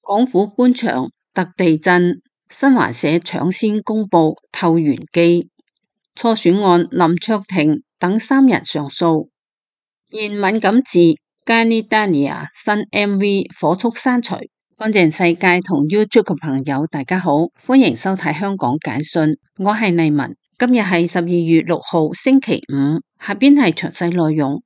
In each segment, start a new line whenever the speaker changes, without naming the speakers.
港府官場特地震，新華社搶先公布透員機。初選案林卓廷等3人上訴。現敏感字 Ganidania 新 MV 火速刪除。乾淨世界同 YouTube 嘅朋友大家好，歡迎收睇香港簡訊，我係麗文。今日係12月6號星期五，下邊係詳細內容。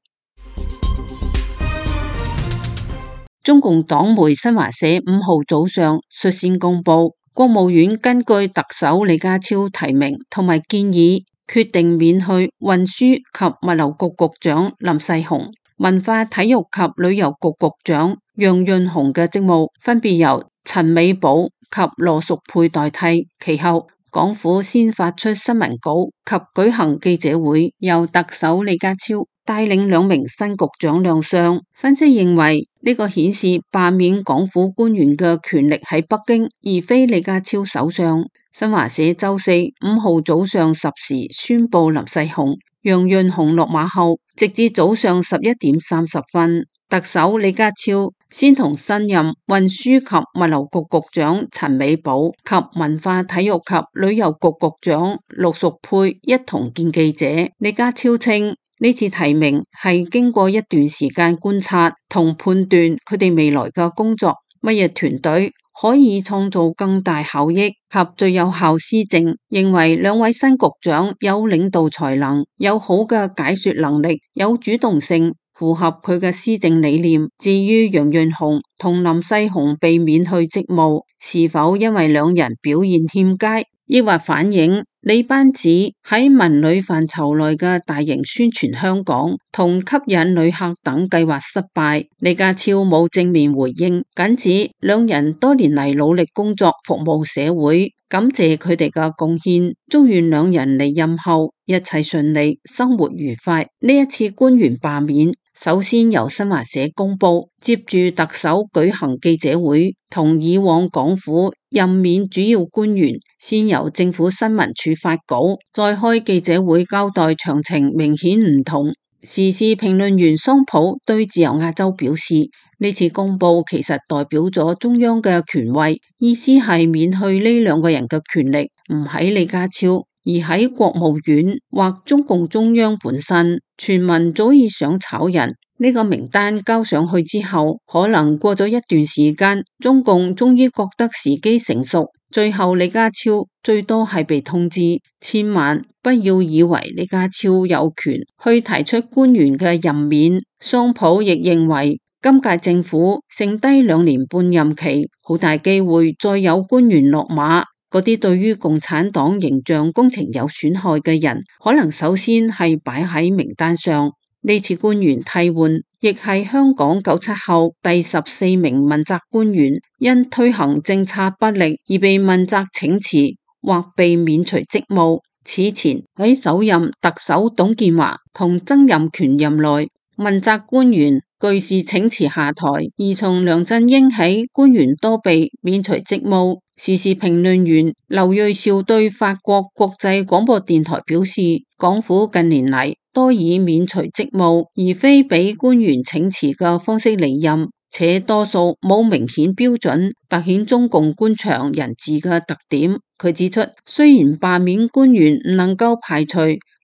中共黨媒新華社5號早上率先公布，國務院根據特首李家超提名同埋建議，決定免去運輸及物流局局長林世雄、文化體育及旅遊局局長楊潤雄嘅職務，分別由陳美寶及羅淑佩代替。其後，港府先發出新聞稿及舉行記者會，由特首李家超帶領2名新局長亮相。分析認為，呢個顯示罷免港府官員嘅權力喺北京，而非李家超手上。新華社周四5號早上10時宣布林世雄、楊潤雄落馬後，直至早上11點30分，特首李家超先同新任運輸及物流局局長陳美寶及文化體育及旅遊局局長羅淑佩一同見記者。李家超稱，呢次提名係經過一段時間觀察同判斷佢哋未來嘅工作乜嘢團隊可以創造更大效益及最有效施政，認為2位新局長有領導才能，有好嘅解說能力，有主動性，符合佢嘅施政理念。至於楊潤雄同林世雄被免去職務，是否因為2人表現欠佳，抑或反映李班子喺文旅範疇內嘅大型宣傳香港同吸引旅客等計劃失敗？李家超冇正面回應，僅指2人多年嚟努力工作服務社會，感謝佢哋嘅貢獻，祝願2人離任後一切順利，生活愉快。呢一次官員罷免首先由新華社公布，接住特首舉行記者會，同以往港府任免主要官員先由政府新聞處發稿，再開記者會交代詳情，明顯唔同。時事評論員桑普對自由亞洲表示，呢次公布其實代表咗中央嘅權威，意思係免去呢2個人嘅權力唔喺李家超，而喺國務院或中共中央本身。傳聞早已想炒人，呢個名單交上去之後，可能過咗一段時間，中共終於覺得時機成熟，最後李家超最多係被通知。千萬不要以為李家超有權去提出官員嘅任免。桑普亦認為，今屆政府剩低2年半任期，好大機會再有官員落馬。嗰啲對於共產黨形象工程有損害嘅人，可能首先係擺喺名單上。呢次官員替換，亦係香港97後第14名問責官員因推行政策不力而被問責請辭或被免除職務。此前喺首任特首董建華同曾蔭權任內，問責官員據是請辭下台，而從梁振英起，官員多被免除職務。時事評論員劉銳紹對法國國際廣播電台表示，港府近年嚟多以免除職務，而非俾官員請辭嘅方式離任，且多數冇明顯標準，凸顯中共官場人治嘅特點。佢指出，雖然罷免官員唔能夠排除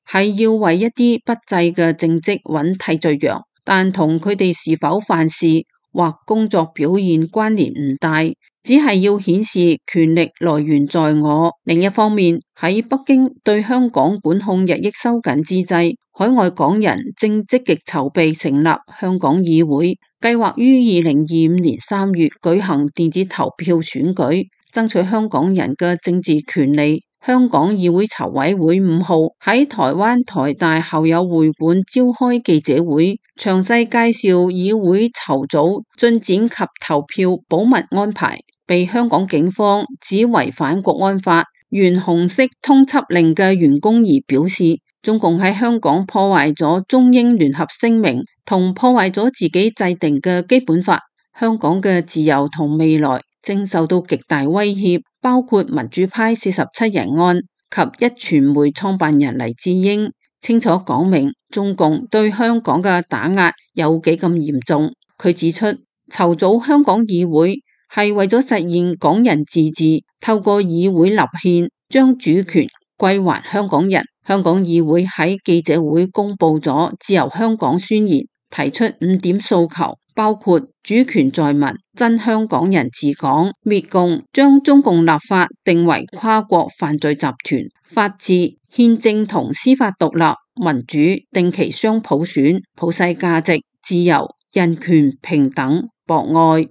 係要為一啲不濟嘅政績揾替罪羊，但同佢哋是否犯事或工作表現關聯唔大，只係要顯示權力來源在我。另一方面，喺北京對香港管控日益收緊之際，海外港人正積極籌備成立香港議會，計劃於2025年3月舉行電子投票選舉，爭取香港人嘅政治權利。香港議會籌委會5號喺台灣台大校友會館召開記者會，詳細介紹議會籌組進展及投票保密安排，被香港警方指違反國安法原紅色通緝令嘅員工而表示，中共喺香港破壞咗中英聯合聲明，同破壞咗自己制定嘅基本法，香港嘅自由同未來正受到極大威脅，包括民主派47人案及壹傳媒創辦人黎智英，清楚講明中共對香港嘅打壓有幾咁嚴重。佢指出，籌組香港議會係為咗實現港人自治，透過議會立憲將主權歸還香港人。香港議會喺記者會公布咗自由香港宣言，提出5點訴求，包括主權在民、真香港人治港、滅共、將中共立法定為跨國犯罪集團、法治、憲政同司法獨立、民主、定期雙普選、普世價值、自由、人權、平等、博愛。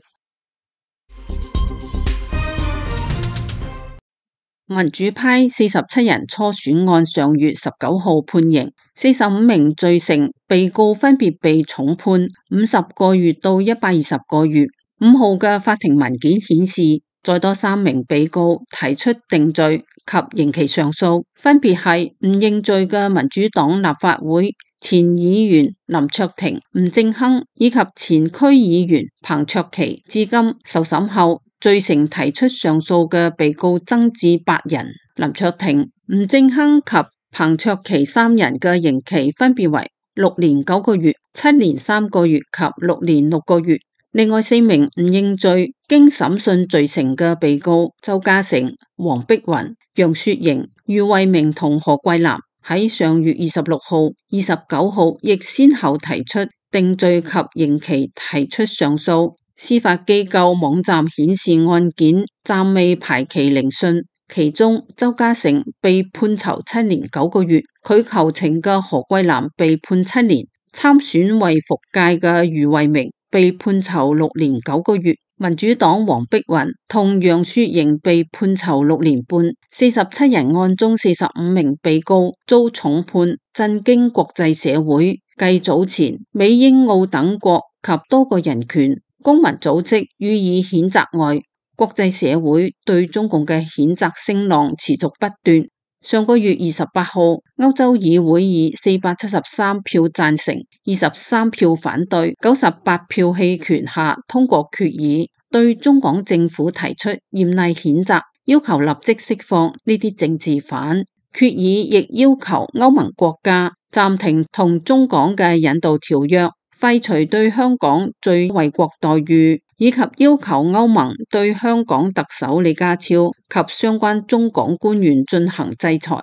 民主派47人初選案上月19號判刑，45名罪成被告分別被重判50個月到120個月。5號嘅法庭文件顯示，再多3名被告提出定罪及刑期上訴，分別係唔認罪嘅民主黨立法會前議員林卓廷、吳政亨以及前區議員彭卓棋。至今受審後罪成提出上訴嘅被告增至8人，林卓廷、吳政亨及彭卓棋3人嘅刑期分別為6年9個月、7年3個月及6年6個月。另外4名唔認罪經審訊罪成嘅被告周家成、黃碧雲、楊雪瑩、余慧明同何桂藍喺上月26號、29號亦先後提出定罪及刑期提出上訴。司法機構網站顯示案件暫未排期聆訊，其中周家成被判囚7年9個月，佢求情嘅何桂藍被判7年，參選為復界嘅余慧明被判囚6年9個月，民主黨黃碧雲同楊雪瑩被判囚6年半。47人案中45名被告遭重判，震驚國際社會。繼早前美英澳等國及多個人權公民組織予以譴責外，國際社會對中共嘅譴責聲浪持續不斷。上個月28號，歐洲議會以473票贊成、23票反對、98票棄權下通過決議，對中港政府提出嚴厲譴責，要求立即釋放呢啲政治犯。決議亦要求歐盟國家暫停同中港嘅引渡條約，廢除對香港最惠國待遇，以及要求歐盟對香港特首李家超及相關中港官員進行制裁。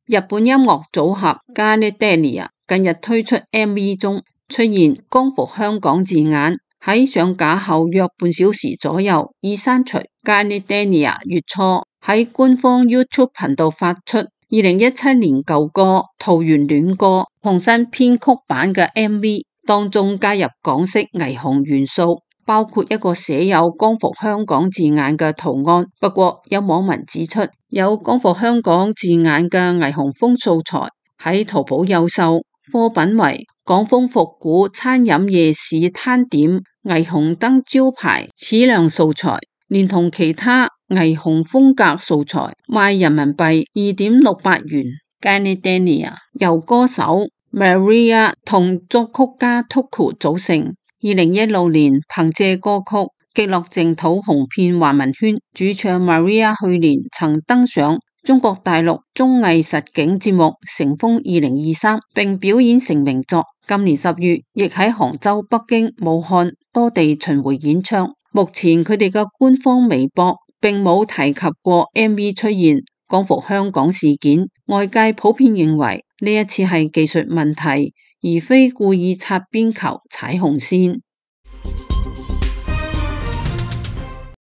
日本音樂組合 Garnet Daniel 近日推出 MV 中出現光復香港字眼，喺上架後約半小時左右已刪除。Garnet Daniel 月初喺官方 YouTube 頻道發出2017年舊歌《桃園戀歌》重新編曲版嘅 MV， 當中加入港式霓虹元素，包括一個寫有光復香港字眼嘅圖案。不過有網民指出，有光復香港字眼嘅霓虹風素材喺淘寶有售，貨品為港風復古餐飲夜市攤點霓虹燈招牌矢量素材，連同其他霓虹風格素材，賣人民幣2.68元。Garnet Daniel 由歌手 Maria 同作曲家 Tuku 組成。2016年憑借歌曲《極樂淨土》紅遍華文圈，主唱 Maria 去年曾登上中國大陸綜藝實境節目《乘風2023》，並表演成名作。今年10月亦喺杭州、北京、武漢多地巡迴演唱。目前佢哋嘅官方微博並冇提及過 MV 出現光復香港事件，外界普遍認為呢一次係技術問題，而非故意擦邊球、踩紅線。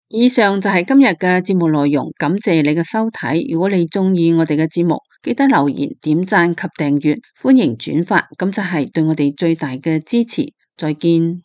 以上就係今日嘅節目內容，感謝你嘅收睇。如果你中意我哋嘅節目，記得留言、點讚及訂閱，歡迎轉發，咁就係對我哋最大嘅支持。再見。